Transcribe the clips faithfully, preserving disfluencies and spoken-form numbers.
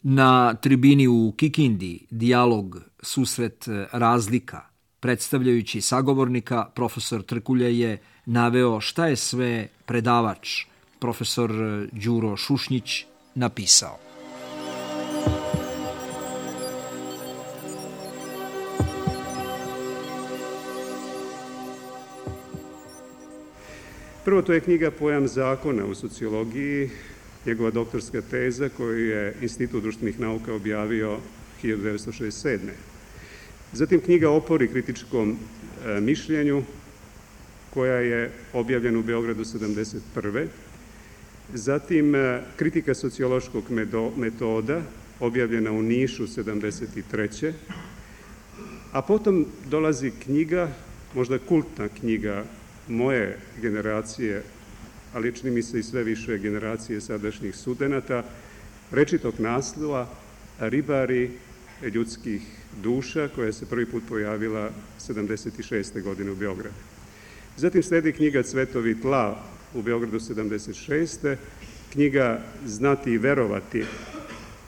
Na tribini u Kikindi dijalog susret razlika, predstavljajući sagovornika, profesor Trkulja je naveo šta je sve predavač, profesor Đuro Šušnjić, napisao. Prvo, to je knjiga Pojam zakona u sociologiji, njegova doktorska teza koju je Institut društvenih nauka objavio hiljadu devetsto šezdeset sedme. Zatim knjiga Opori kritičkom e, mišljenju, koja je objavljena u Beogradu sedamdeset prve. Zatim e, Kritika sociološkog metoda, objavljena u Nišu sedamdeset treće. A potom dolazi knjiga, možda kultna knjiga moje generacije, ali čini mi se i sve više generacije sadašnjih studenata, rečitog naslova Ribari ljudskih duša, koja se prvi put pojavila sedamdeset šeste. godine u Beogradu. Zatim sledi knjiga Cvetovi tla u Beogradu sedamdeset šeste. Knjiga Znati i verovati,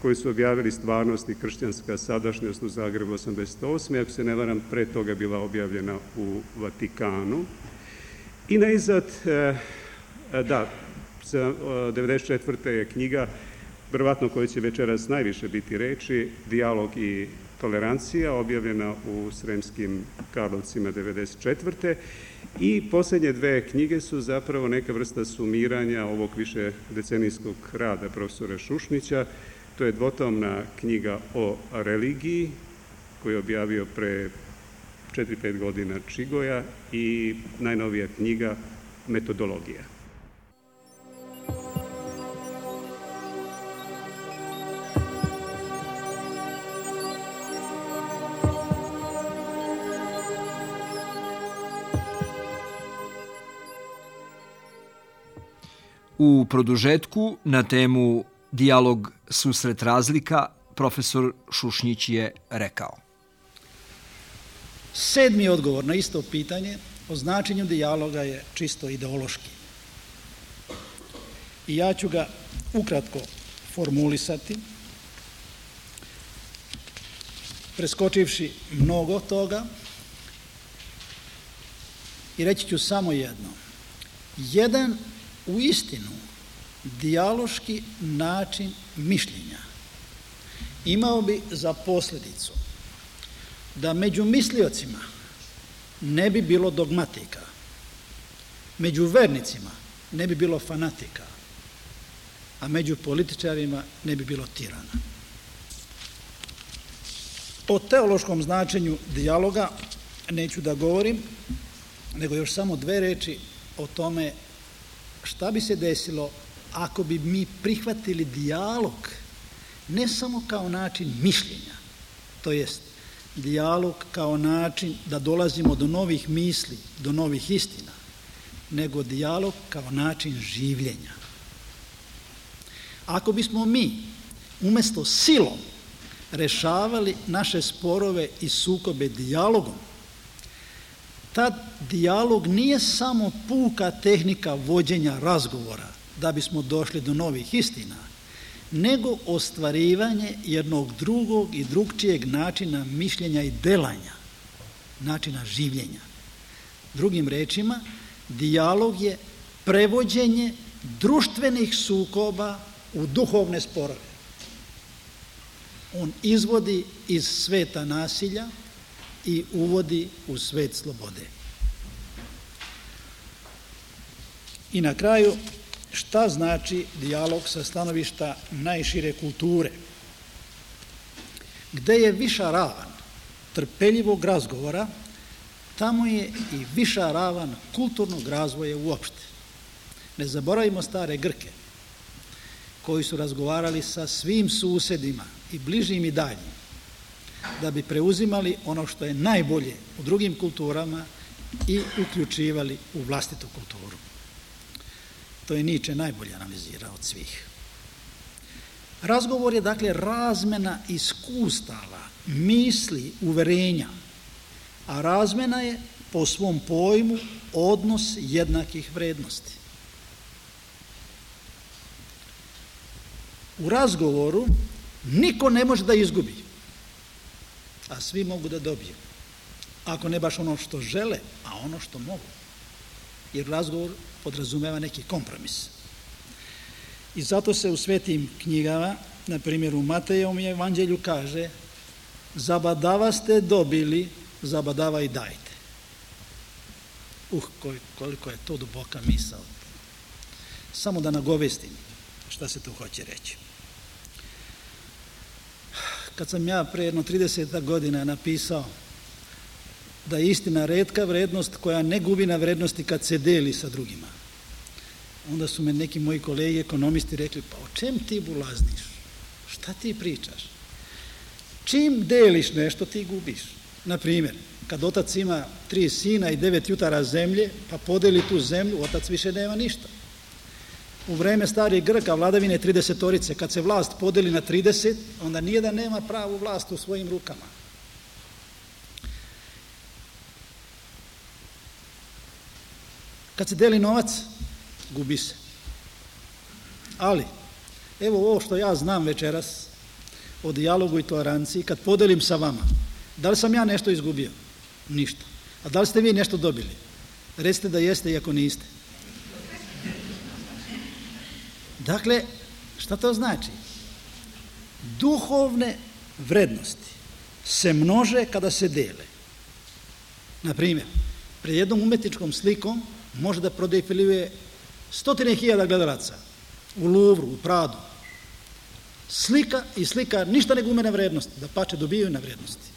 koju su objavili Stvarnost i kršćanska sadašnjost u Zagrebu osamdeset osme. Ako se ne varam, pre toga bila objavljena u Vatikanu. I najzad, da, devedeset četvrte. je knjiga, verovatno koja će večeras najviše biti reči, Dijalog i tolerancija, objavljena u Sremskim Karlovcima devedeset četvrte. I posljednje dve knjige su zapravo neka vrsta sumiranja ovog više decenijskog rada profesora Šušnjića. To je dvotomna knjiga o religiji, koju je objavio pre četiri pet godina Čigoja, i najnovija knjiga Metodologija. U produžetku na temu Dijalog susret razlika, profesor Šušnjić je rekao. Sedmi odgovor na isto pitanje o značenju dijaloga je čisto ideološki. I ja ću ga ukratko formulisati, preskočivši mnogo toga, i reći ću samo jedno. Jedan u istinu dijaloški način mišljenja imao bi za posljedicu da među misliocima ne bi bilo dogmatika, među vernicima ne bi bilo fanatika, a među političarima ne bi bilo tirana. O teološkom značenju dijaloga neću da govorim, nego još samo dve reči o tome šta bi se desilo ako bi mi prihvatili dijalog ne samo kao način mišljenja, to jest dijalog kao način da dolazimo do novih misli, do novih istina, nego dijalog kao način življenja. Ako bismo mi umjesto silom rešavali naše sporove i sukobe dijalogom, tad dijalog nije samo puka tehnika vođenja razgovora da bismo došli do novih istina, nego ostvarivanje jednog drugog i drugčijeg načina mišljenja i delanja, načina življenja. Drugim rečima, dijalog je prevođenje društvenih sukoba u duhovne sporove. On izvodi iz sveta nasilja i uvodi u svet slobode. I na kraju, šta znači dijalog sa stanovišta najšire kulture? Gde je viša ravan trpeljivog razgovora, tamo je i viša ravan kulturnog razvoja uopšte. Ne zaboravimo stare Grke, koji su razgovarali sa svim susedima, i bližim i daljim, da bi preuzimali ono što je najbolje u drugim kulturama i uključivali u vlastitu kulturu. To je Nietzsche najbolje analizirao od svih. Razgovor je dakle razmena iskustava, misli, uverenja, a razmena je po svom pojmu odnos jednakih vrednosti. U razgovoru Niko ne može da izgubi, a svi mogu da dobiju. Ako ne baš ono što žele, a ono što mogu. Jer razgovor podrazumeva neki kompromis. I zato se u svetim knjigama, na primjer u Matejevom evanđelju kaže: zabadava ste dobili, zabadava i dajte. Uh, koliko je to duboka misao. Samo da nagovestim šta se tu hoće reći. Kad sam ja pre jedno trideset godina napisao da je istina retka vrednost koja ne gubi na vrednosti kad se deli sa drugima, onda su me neki moji kolege ekonomisti rekli: pa o čem ti bulazniš? Šta ti pričaš? Čim deliš nešto, ti gubiš. Na primjer, kad otac ima tri sina i devet jutara zemlje, pa podeli tu zemlju, otac više nema ništa. U vreme starih Grka, vladavine tridesetorice, kad se vlast podeli na trideset, onda nijedan nema pravu vlast u svojim rukama. Kad se deli novac, gubi se. Ali, evo ovo što ja znam večeras o dijalogu i toleranciji, kad podelim sa vama, da li sam ja nešto izgubio? Ništa. A da li ste vi nešto dobili? Recite da jeste, iako niste. Dakle, šta to znači? Duhovne vrednosti se množe kada se dele. Na primjer, pred jednom umetničkom slikom može da prodefiluje stotine hiljada gledalaca u Louvru, u Pradu. Slika i slika ništa ne gume na vrednosti, da pače dobijaju na vrednosti.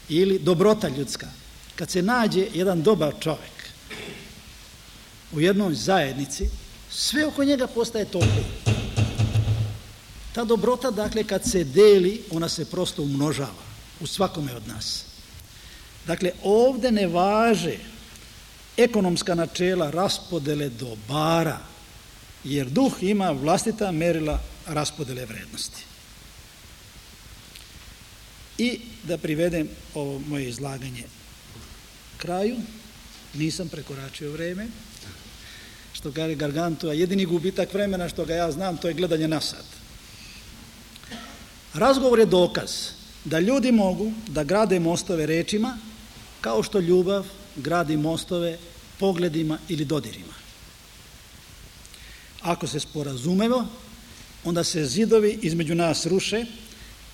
Ili dobrota ljudska. Kad se nađe jedan dobar čovjek u jednoj zajednici, sve oko njega postaje toplo. Ta dobrota, dakle, kad se deli, ona se prosto umnožava u svakome od nas. Dakle, ovde ne važe ekonomska načela raspodele dobara, jer duh ima vlastita merila raspodele vrednosti. I da privedem ovo moje izlaganje kraju, nisam prekoračio vreme, što kaže Gargantua, jedini gubitak vremena što ga ja znam, to je gledanje na sat. Razgovor je dokaz da ljudi mogu da grade mostove rečima, kao što ljubav gradi mostove pogledima ili dodirima. Ako se sporazumemo, onda se zidovi između nas ruše,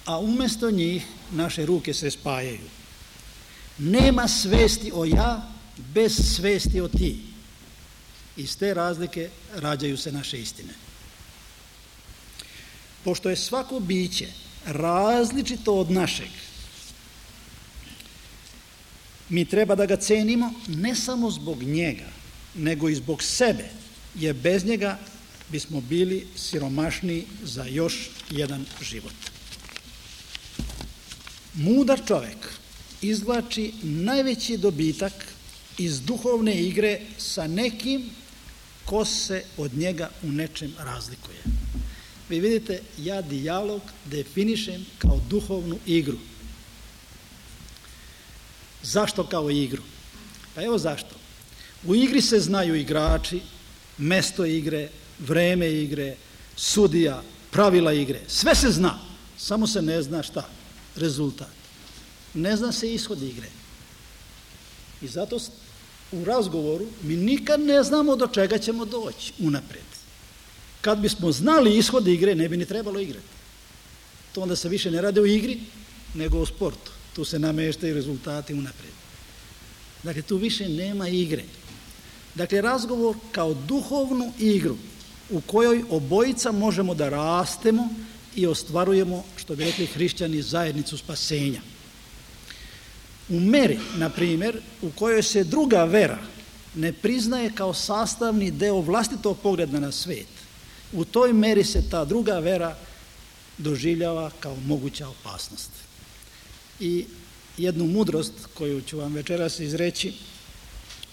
a umesto njih naše ruke se spajaju. Nema svesti o ja bez svesti o ti. Iz te razlike rađaju se naše istine. Pošto je svako biće različito od našeg, mi treba da ga cenimo ne samo zbog njega, nego i zbog sebe, jer bez njega bismo bili siromašniji za još jedan život. Mudar čovjek izvlači najveći dobitak iz duhovne igre sa nekim ko se od njega u nečem razlikuje. Vi vidite, ja dijalog definišem kao duhovnu igru. Zašto kao igru? Pa evo zašto. U igri se znaju igrači, mesto igre, vreme igre, sudija, pravila igre. Sve se zna, samo se ne zna šta? Rezultat. Ne zna se ishod igre. I zato u razgovoru mi nikad ne znamo do čega ćemo doći unapred. Kad bismo znali ishod igre, ne bi ni trebalo igrati. To onda se više ne radi o igri, nego o sportu. Tu se nameštaju rezultati unapred. Dakle, tu više nema igre. Dakle, razgovor kao duhovnu igru u kojoj obojica možemo da rastemo i ostvarujemo, što bi rekli hrišćani, zajednicu spasenja. U meri, na primjer, u kojoj se druga vera ne priznaje kao sastavni deo vlastitog pogleda na svet, u toj meri se ta druga vera doživljava kao moguća opasnost. I jednu mudrost koju ću vam večeras izreći,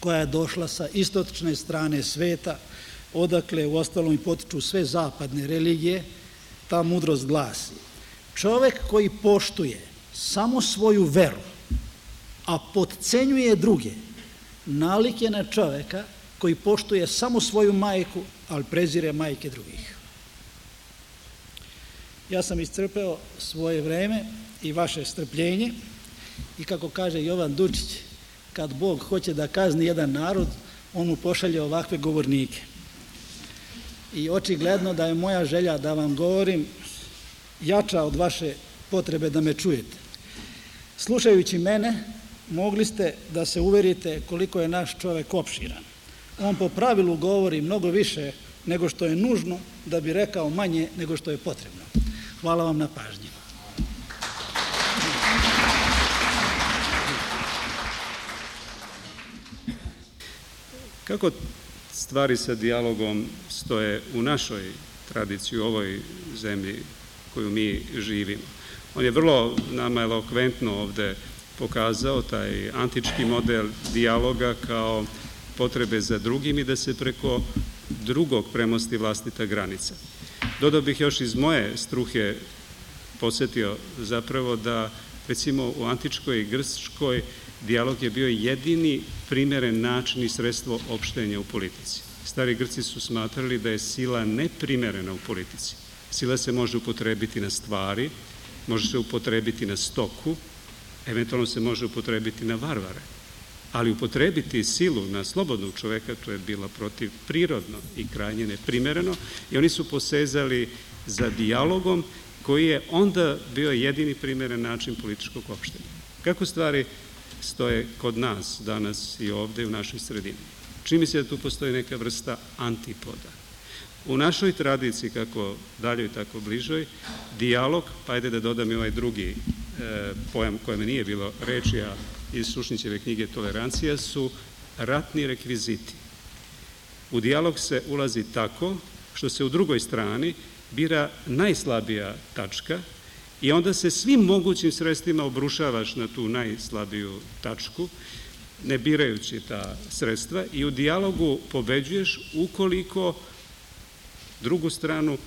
koja je došla sa istočne strane sveta, odakle u ostalom i potiču sve zapadne religije, ta mudrost glasi: čovjek koji poštuje samo svoju veru, a potcenjuje druge, nalik je na čovjeka koji poštuje samo svoju majku, ali prezire majke drugih. Ja sam iscrpeo svoje vreme i vaše strpljenje i kako kaže Jovan Dučić, kad Bog hoće da kazni jedan narod, on mu pošalje ovakve govornike. I očigledno da je moja želja da vam govorim jača od vaše potrebe da me čujete. Slušajući mene, mogli ste da se uverite koliko je naš čovek opširan. On po pravilu govori mnogo više nego što je nužno, da bi rekao manje nego što je potrebno. Hvala vam na pažnji. Kako stvari sa dijalogom stoje u našoj tradiciji, u ovoj zemlji koju mi živimo? On je vrlo nama elokventno ovde pokazao taj antički model dijaloga kao potrebe za drugim i da se preko drugog premosti vlastita granica. Dodao bih još iz moje struke podsjetio zapravo da recimo u antičkoj i grčkoj dijalog je bio jedini primeren način i sredstvo opštenja u politici. Stari Grci su smatrali da je sila neprimerena u politici. Sila se može upotrebiti na stvari, može se upotrebiti na stoku, eventualno se može upotrebiti na varvare, ali upotrebiti silu na slobodnog čoveka, to je bilo protiv prirodno i krajnje neprimereno i oni su posezali za dijalogom koji je onda bio jedini primeren način političkog opštenja. Kako stvari stoje kod nas danas i ovde u našoj sredini? Čini mi se da tu postoji neka vrsta antipoda. U našoj tradiciji, kako daljoj, tako bližoj, dijalog, pa ajde da dodam i ovaj drugi e, pojam kojem nije bilo reči, a iz Šušnićeve knjige Tolerancija, su ratni rekviziti. U dijalog se ulazi tako što se u drugoj strani bira najslabija tačka i onda se svim mogućim sredstvima obrušavaš na tu najslabiju tačku, ne birajući ta sredstva, i u dijalogu pobeđuješ ukoliko drugu stranu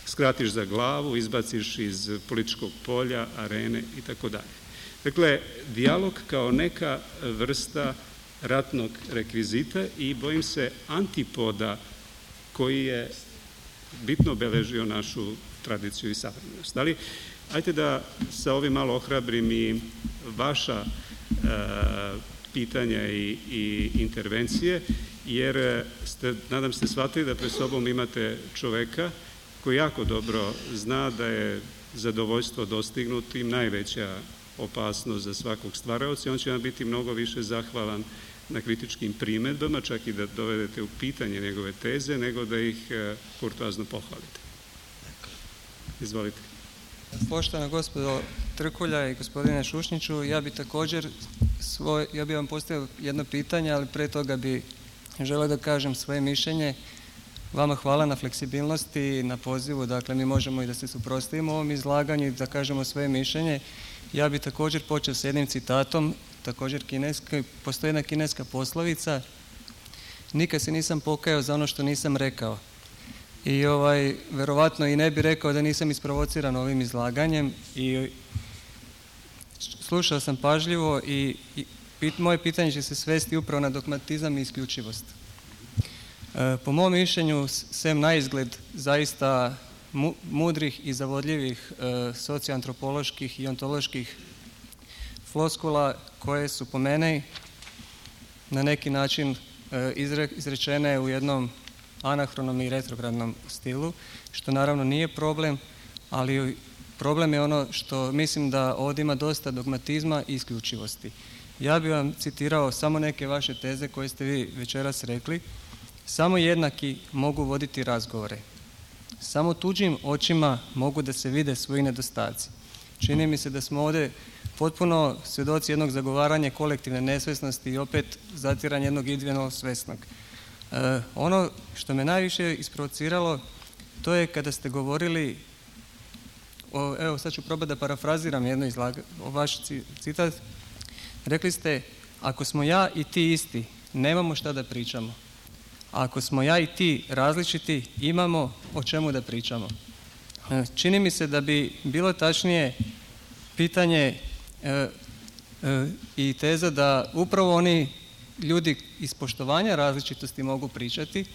skratiš za glavu, izbaciš iz političkog polja, arene i tako dalje. Dakle, dijalog kao neka vrsta ratnog rekvizita i bojim se antipoda koji je bitno obeležio našu tradiciju i savremenost. Ali, ajte da sa ovim malo ohrabrim i vaša e, pitanja i, i intervencije, jer ste, nadam se, shvatili da pred sobom imate čoveka koji jako dobro zna da je zadovoljstvo dostignutim najveća opasnost za svakog stvaraoca i on će vam biti mnogo više zahvalan na kritičkim primedbama, čak i da dovedete u pitanje njegove teze, nego da ih kurtoazno pohvalite. Izvolite. Poštovana gospodo Trkulja i gospodine Šušniću, ja bi također svoj, ja bih vam postavio jedno pitanje, ali pre toga bi želeo da kažem svoje mišljenje. Vama hvala na fleksibilnosti i na pozivu, dakle mi možemo i da se suprotstavimo ovom izlaganju i da kažemo svoje mišljenje. Ja bih također počeo s jednim citatom, također kineski, postoji jedna kineska poslovica: nikad se nisam pokajao za ono što nisam rekao. I ovaj, verovatno i ne bi rekao da nisam isprovociran ovim izlaganjem i slušao sam pažljivo i, i pit, moje pitanje će se svesti upravo na dogmatizam i isključivost. E, po mom mišljenju, sem na izgled zaista mu, mudrih i zavodljivih e, socioantropoloških i ontoloških floskula koje su po mene na neki način e, izre, izrečene u jednom anahronom i retrogradnom stilu, što naravno nije problem, ali problem je ono što mislim da ovdje ima dosta dogmatizma i isključivosti. Ja bih vam citirao samo neke vaše teze koje ste vi večeras rekli. Samo jednaki mogu voditi razgovore. Samo tuđim očima mogu da se vide svoji nedostaci. Čini mi se da smo ovdje potpuno svjedoci jednog zagovaranja kolektivne nesvesnosti i opet zatiranja jednog individualnog svesnog. E, ono što me najviše isprovociralo, to je kada ste govorili, o, evo sad ću probati da parafraziram jedno izlaga, o vaš citat, rekli ste: ako smo ja i ti isti, nemamo šta da pričamo. A ako smo ja i ti različiti, imamo o čemu da pričamo. E, čini mi se da bi bilo tačnije pitanje e, e, i teza da upravo oni ljudi iz poštovanja različitosti mogu pričati,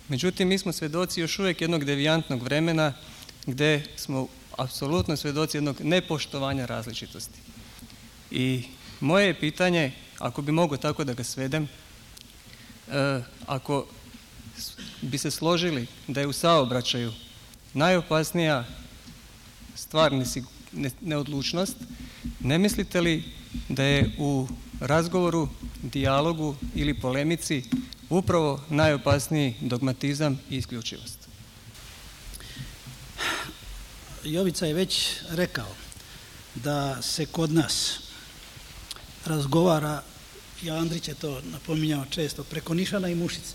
međutim mi smo svjedoci još uvijek jednog devijantnog vremena gdje smo apsolutno svjedoci jednog nepoštovanja različitosti. I moje je pitanje, ako bi mogao tako da ga svedem, e, ako bi se složili da je u saobraćaju najopasnija stvar neodlučnost, ne mislite li da je u razgovoru, dijalogu ili polemici upravo najopasniji dogmatizam i isključivost? Jovica je već rekao da se kod nas razgovara, i Andrić je to napominjao često, preko nišana i mušice.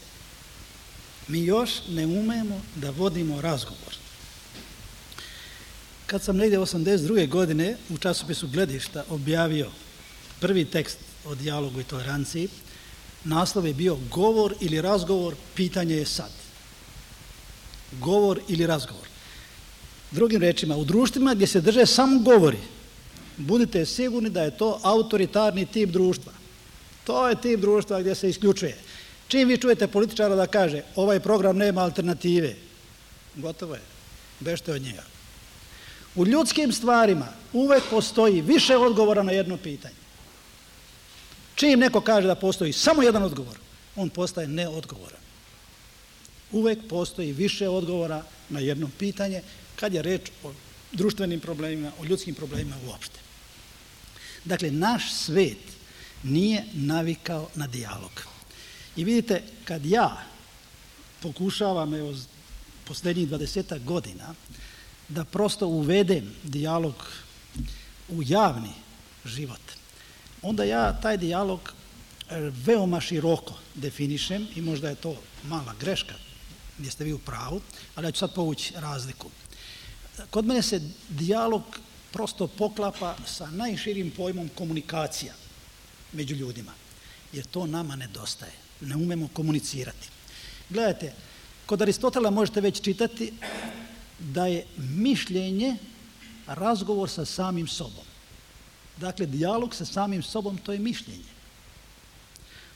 Mi još ne umemo da vodimo razgovor. Kad sam negdje osamdeset druge godine u časopisu Gledišta objavio prvi tekst o dijalogu i toleranciji, naslov je bio Govor ili razgovor, pitanje je sad. Govor ili razgovor. Drugim rečima, u društvima gdje se drže samo govori, budite sigurni da je to autoritarni tip društva. To je tip društva gdje se isključuje. Čim vi čujete političara da kaže ovaj program nema alternative, gotovo je, bežite od njega. U ljudskim stvarima uvek postoji više odgovora na jedno pitanje. Čim neko kaže da postoji samo jedan odgovor, on postaje neodgovoran. Uvek postoji više odgovora na jedno pitanje kad je reč o društvenim problemima, o ljudskim problemima uopšte. Dakle, naš svet nije navikao na dijalog. I vidite, kad ja pokušavam, evo, posljednjih dvadesetak godina, da prosto uvedem dijalog u javni život, onda ja taj dijalog veoma široko definišem i možda je to mala greška, gdje ste vi u pravu, ali ja ću sad povući razliku. Kod mene se dijalog prosto poklapa sa najširim pojmom komunikacija među ljudima, jer to nama nedostaje. Ne umemo komunicirati. Gledajte, kod Aristotela možete već čitati da je mišljenje razgovor sa samim sobom. Dakle, dijalog sa samim sobom, to je mišljenje.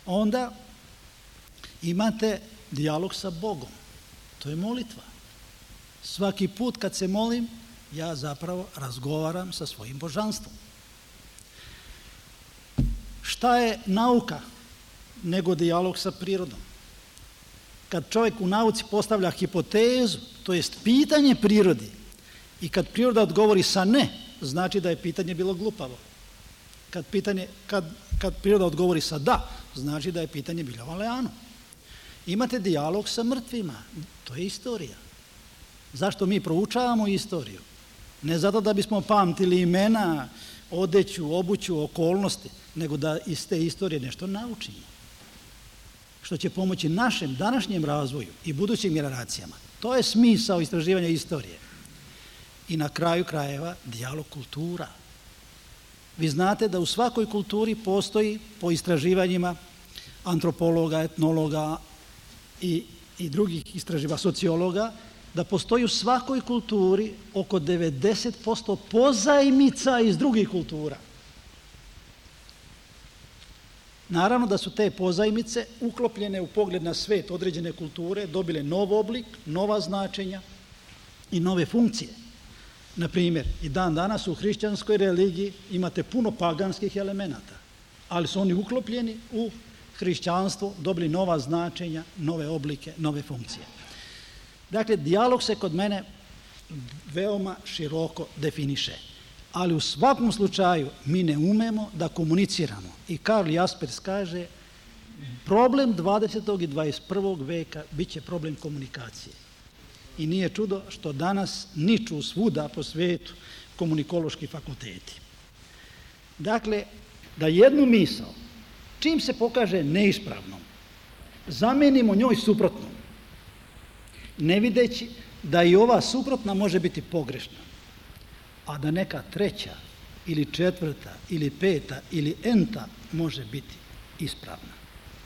Onda imate dijalog sa Bogom. To je molitva. Svaki put kad se molim, ja zapravo razgovaram sa svojim božanstvom. Šta je nauka nego dijalog sa prirodom? Kad čovjek u nauci postavlja hipotezu, to jest pitanje prirodi, i kad priroda odgovori sa ne, znači da je pitanje bilo glupavo. Kad, pitanje, kad, kad priroda odgovori sa da, znači da je pitanje bilo valjano. Imate dijalog sa mrtvima, to je istorija. Zašto mi proučavamo istoriju? Ne zato da bismo pamtili imena, odeću, obuću, okolnosti, nego da iz te istorije nešto naučimo. Što će pomoći našem današnjem razvoju i budućim generacijama. To je smisao istraživanja istorije. I na kraju krajeva dijalog kultura. Vi znate da u svakoj kulturi postoji, po istraživanjima antropologa, etnologa i, i drugih istraživača, sociologa, da postoji u svakoj kulturi oko devedeset posto pozajmica iz drugih kultura. Naravno da su te pozajmice uklopljene u pogled na svet određene kulture, dobile nov oblik, nova značenja i nove funkcije. Na primjer, i dan danas u hrišćanskoj religiji imate puno paganskih elemenata, ali su oni uklopljeni u hrišćanstvo, dobili nova značenja, nove oblike, nove funkcije. Dakle, dijalog se kod mene veoma široko definiše, ali u svakom slučaju mi ne umemo da komuniciramo. I Karl Jaspers kaže, problem dvadesetog i dvadeset prvog veka bit će problem komunikacije. I nije čudo što danas niču svuda po svijetu komunikološki fakulteti. Dakle, da jednu misao, čim se pokaže neispravnom, zamenimo njoj suprotnom, ne videći da i ova suprotna može biti pogrešna, a da neka treća ili četvrta ili peta ili enta može biti ispravna,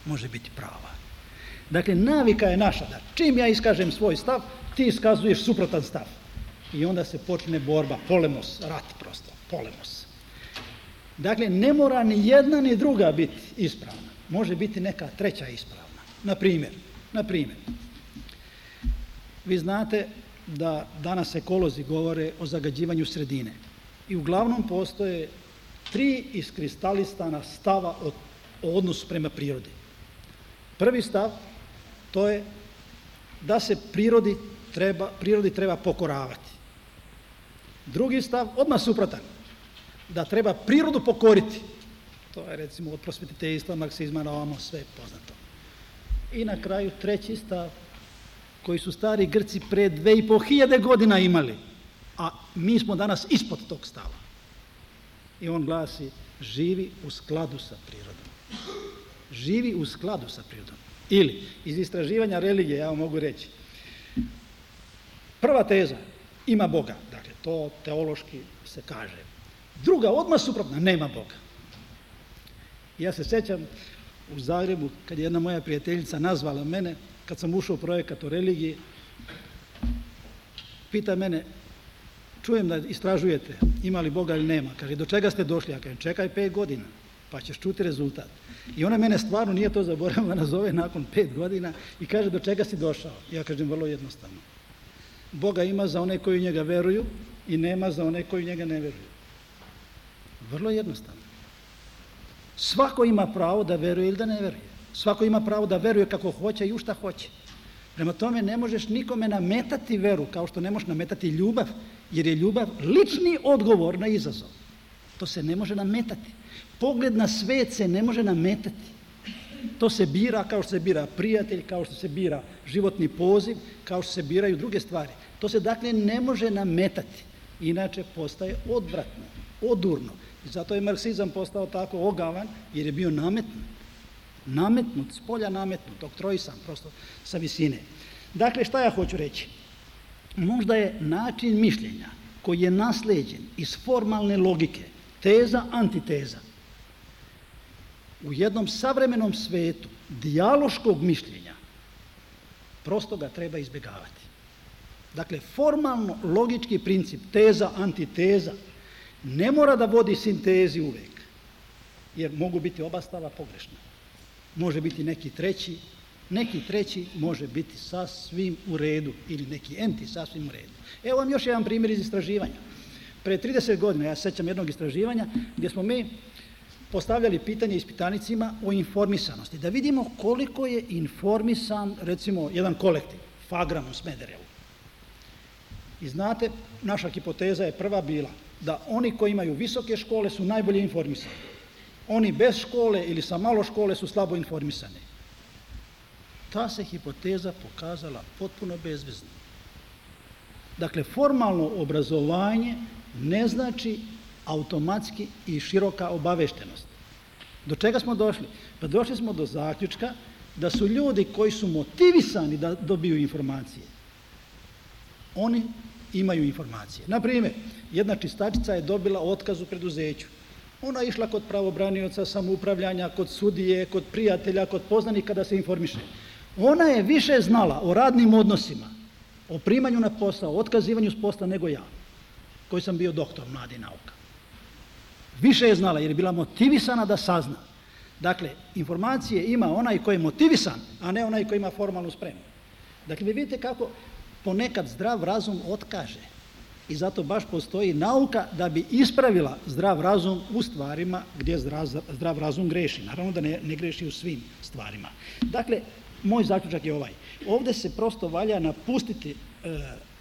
može biti prava. Dakle, navika je naša da čim ja iskažem svoj stav, ti iskazuješ suprotan stav. I onda se počne borba, polemos, rat prosto, polemos. Dakle, ne mora ni jedna ni druga biti ispravna. Može biti neka treća ispravna. Na primjer, na primjer, vi znate da danas ekolozi govore o zagađivanju sredine. I uglavnom postoje tri iskristalisana stava o, o odnosu prema prirodi. Prvi stav, to je da se prirodi treba, prirodi treba pokoravati. Drugi stav, odmah suprotan, da treba prirodu pokoriti. To je recimo od prosvetiteljstva, marksizma, na ovamo sve poznato. I na kraju treći stav, koji su stari Grci pre dve i po hiljade godina imali, a mi smo danas ispod tog stava. I on glasi, živi u skladu sa prirodom. Živi u skladu sa prirodom. Ili, iz istraživanja religije, ja vam mogu reći, prva teza, ima Boga, dakle, to teološki se kaže. Druga, odmah suprotna, nema Boga. Ja se sjećam u Zagrebu, kad je jedna moja prijateljica nazvala mene, kad sam ušao u projekat o religiji, pita mene, čujem da istražujete, ima li Boga ili nema. Kaže, do čega ste došli? Ja kažem, čekaj pet godina, pa ćeš čuti rezultat. I ona mene stvarno nije to zaboravila, nazove nakon pet godina i kaže, do čega si došao? Ja kažem, vrlo jednostavno. Boga ima za one koji u njega veruju i nema za one koji u njega ne veruju. Vrlo jednostavno. Svako ima pravo da veruje ili da ne veruje. Svako ima pravo da veruje kako hoće i u šta hoće. Prema tome ne možeš nikome nametati veru, kao što ne možeš nametati ljubav, jer je ljubav lični odgovor na izazov. To se ne može nametati. Pogled na svet se ne može nametati. To se bira kao što se bira prijatelj, kao što se bira životni poziv, kao što se biraju druge stvari. To se dakle ne može nametati. Inače postaje odvratno, odurno. I zato je marksizam postao tako ogavan, jer je bio nametnut. Nametnut, s polja nametnut, oktroisan, prosto sa visine. Dakle, šta ja hoću reći? Možda je način mišljenja koji je nasleđen iz formalne logike, teza, antiteza, u jednom savremenom svetu dijaloškog mišljenja, prosto ga treba izbjegavati. Dakle, formalno logički princip teza, antiteza ne mora da vodi sintezi uvek, jer mogu biti oba stava pogrešna. Može biti neki treći, neki treći može biti sasvim u redu ili neki enti sasvim u redu. Evo vam još jedan primjer iz istraživanja. Pre trideset godina, ja se sjećam jednog istraživanja gdje smo mi postavljali pitanje ispitanicima o informisanosti, da vidimo koliko je informisan, recimo, jedan kolektiv, Fagram u Smederevu. I znate, naša hipoteza je prva bila da oni koji imaju visoke škole su najbolje informisani. Oni bez škole ili sa malo škole su slabo informisani. Ta se hipoteza pokazala potpuno bezvezna. Dakle, formalno obrazovanje ne znači automatski i široka obaveštenost. Do čega smo došli? Pa došli smo do zaključka da su ljudi koji su motivisani da dobiju informacije, oni imaju informacije. Naprimjer, jedna čistačica je dobila otkaz u preduzeću. Ona je išla kod pravobranioca, samoupravljanja, kod sudije, kod prijatelja, kod poznanika da se informiše. Ona je više znala o radnim odnosima, o primanju na posao, o otkazivanju s posla nego ja, koji sam bio doktor mladih nauka. Više je znala jer je bila motivisana da sazna. Dakle, informacije ima onaj koji je motivisan, a ne onaj koji ima formalnu spremu. Dakle, vi vidite kako ponekad zdrav razum otkaže. I zato baš postoji nauka da bi ispravila zdrav razum u stvarima gdje zdrav, zdrav razum greši. Naravno da ne, ne greši u svim stvarima. Dakle, moj zaključak je ovaj. Ovdje se prosto valja napustiti e,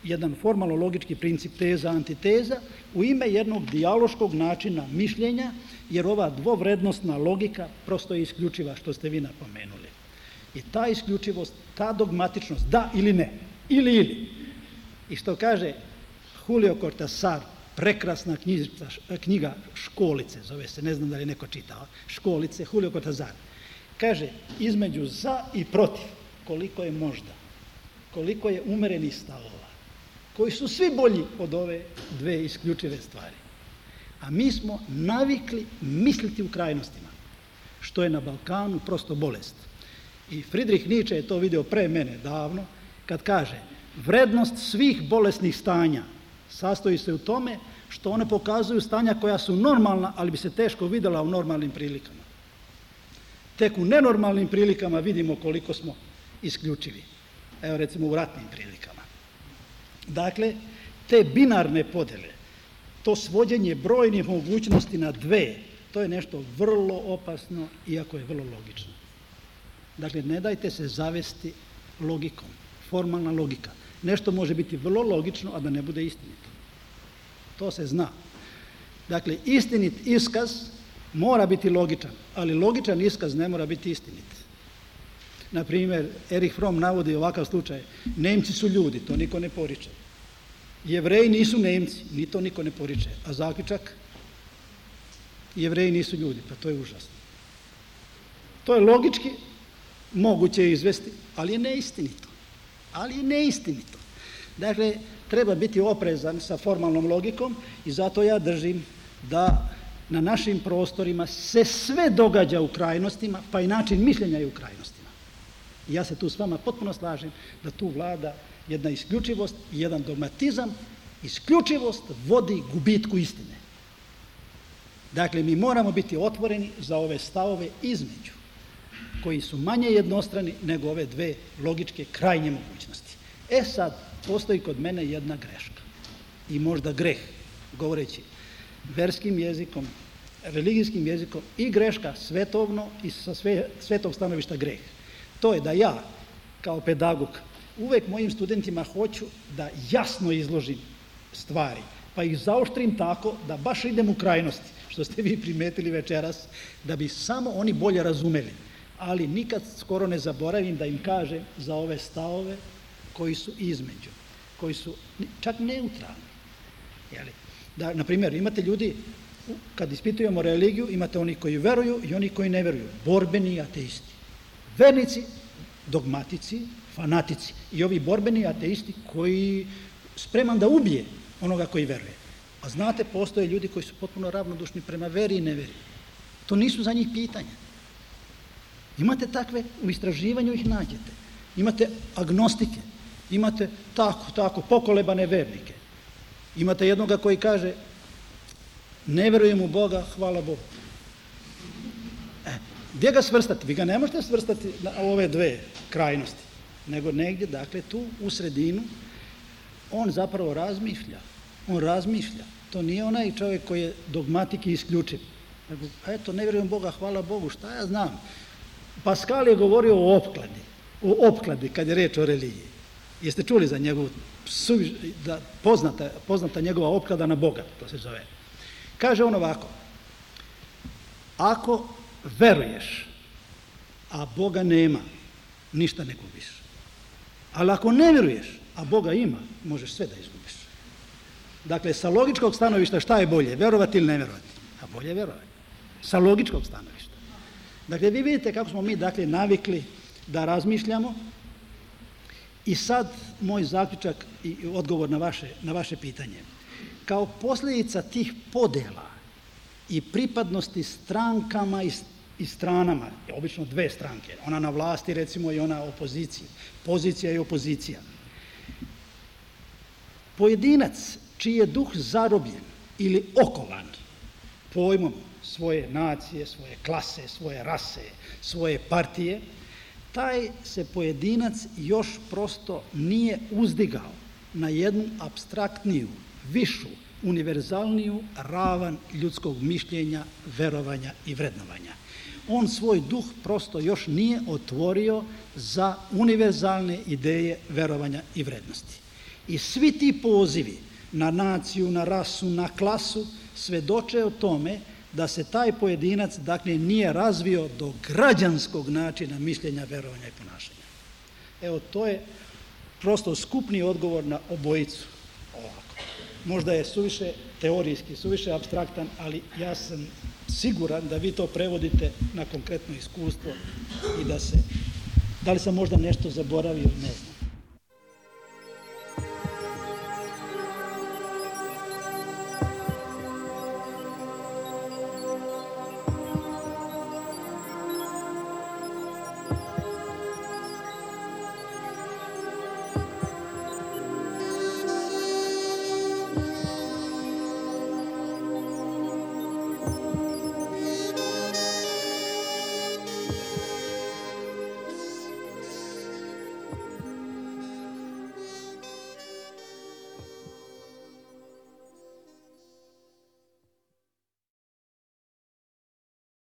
jedan formalno-logički princip teza, antiteza u ime jednog dijaloškog načina mišljenja, jer ova dvovrednostna logika prosto je isključiva, što ste vi napomenuli. I ta isključivost, ta dogmatičnost, da ili ne, ili ili. I što kaže Julio Cortázar, prekrasna knjižica, knjiga Školice, zove se, ne znam da li je neko čitao, Školice, Julio Cortázar, kaže između za i protiv, koliko je možda, koliko je umerenih stavova, koji su svi bolji od ove dve isključive stvari. A mi smo navikli misliti u krajnostima, što je na Balkanu prosto bolest. I Friedrich Nietzsche je to vidio pre mene davno, kad kaže, vrednost svih bolesnih stanja sastoji se u tome što one pokazuju stanja koja su normalna, ali bi se teško vidjela u normalnim prilikama. Tek u nenormalnim prilikama vidimo koliko smo isključivi. Evo recimo u ratnim prilikama. Dakle, te binarne podele, to svođenje brojnih mogućnosti na dve, to je nešto vrlo opasno, iako je vrlo logično. Dakle, ne dajte se zavesti logikom, formalna logika. Nešto može biti vrlo logično, a da ne bude istinito. To se zna. Dakle, istinit iskaz mora biti logičan, ali logičan iskaz ne mora biti istinit. Na primjer, Erich Fromm navodi ovakav slučaj: Nemci su ljudi, to niko ne poriče. Jevreji nisu Nemci, ni to niko ne poriče. A zaključak? Jevreji nisu ljudi, pa to je užasno. To je logički moguće izvesti, ali je neistinito. Ali je neistinito. Dakle, treba biti oprezan sa formalnom logikom i zato ja držim da na našim prostorima se sve događa u krajnostima, pa i način mišljenja je u krajnostima. I ja se tu s vama potpuno slažem da tu vlada jedna isključivost i jedan dogmatizam. Isključivost vodi gubitku istine. Dakle, mi moramo biti otvoreni za ove stavove između, koji su manje jednostrani nego ove dve logičke krajnje mogućnosti. E sad, postoji kod mene jedna greška i možda greh, govoreći verskim jezikom, religijskim jezikom, i greška svetovno i sa sve, svetog stanovišta greh. To je da ja, kao pedagog, uvek mojim studentima hoću da jasno izložim stvari, pa ih zaoštrim tako da baš idem u krajnosti, što ste vi primetili večeras, da bi samo oni bolje razumeli. Ali nikad skoro ne zaboravim da im kažem za ove stavove koji su između, koji su čak neutralni. Jeli? Da, na primjer, imate ljudi, kad ispitujemo religiju, imate oni koji veruju i oni koji ne veruju, borbeni ateisti. Vernici, dogmatici, fanatici i ovi borbeni ateisti koji spreman da ubije onoga koji veruje. A znate, postoje ljudi koji su potpuno ravnodušni prema veri i neveri. To nisu za njih pitanja. Imate takve, u istraživanju ih nađete. Imate agnostike, imate tako, tako, pokolebane vernike. Imate jednoga koji kaže: ne verujem u Boga, hvala Bogu. E, gdje ga svrstati? Vi ga ne možete svrstati na ove dve krajnosti, nego negdje, dakle, tu u sredinu. On zapravo razmišlja. On razmišlja. To nije onaj čovjek koji je dogmatik i isključiv. Nego, eto, ne vjerujem u Boga, hvala Bogu, šta ja znam. Pascal je govorio o opkladi, o opkladi kad je reč o religiji. Jeste čuli za njegovu, da, poznata, poznata njegova opklada na Boga, to se zove. Kaže on ovako: ako veruješ, a Boga nema, ništa ne gubiš. Ali ako ne vjeruješ, a Boga ima, možeš sve da izgubiš. Dakle, sa logičkog stanovišta šta je bolje, verovati ili ne verovati? A bolje je verovati. Sa logičkog stanovišta. Dakle, vi vidite kako smo mi, dakle, navikli da razmišljamo. I sad moj zaključak i odgovor na vaše, na vaše pitanje. Kao posljedica tih podela i pripadnosti strankama i, i stranama, obično dve stranke, ona na vlasti, recimo, i ona opoziciji, pozicija i opozicija, pojedinac čiji je duh zarobljen ili okovan pojmom svoje nacije, svoje klase, svoje rase, svoje partije, taj se pojedinac još prosto nije uzdigao na jednu apstraktniju, višu, univerzalniju ravan ljudskog mišljenja, verovanja i vrednovanja. On svoj duh prosto još nije otvorio za univerzalne ideje verovanja i vrednosti. I svi ti pozivi na naciju, na rasu, na klasu svedoče o tome da se taj pojedinac, dakle, nije razvio do građanskog načina mišljenja, verovanja i ponašanja. Evo, to je prosto skupni odgovor na obojicu. Ovako. Možda je suviše teorijski, suviše apstraktan, ali ja sam siguran da vi to prevodite na konkretno iskustvo i da se, da li sam možda nešto zaboravio, ne znam.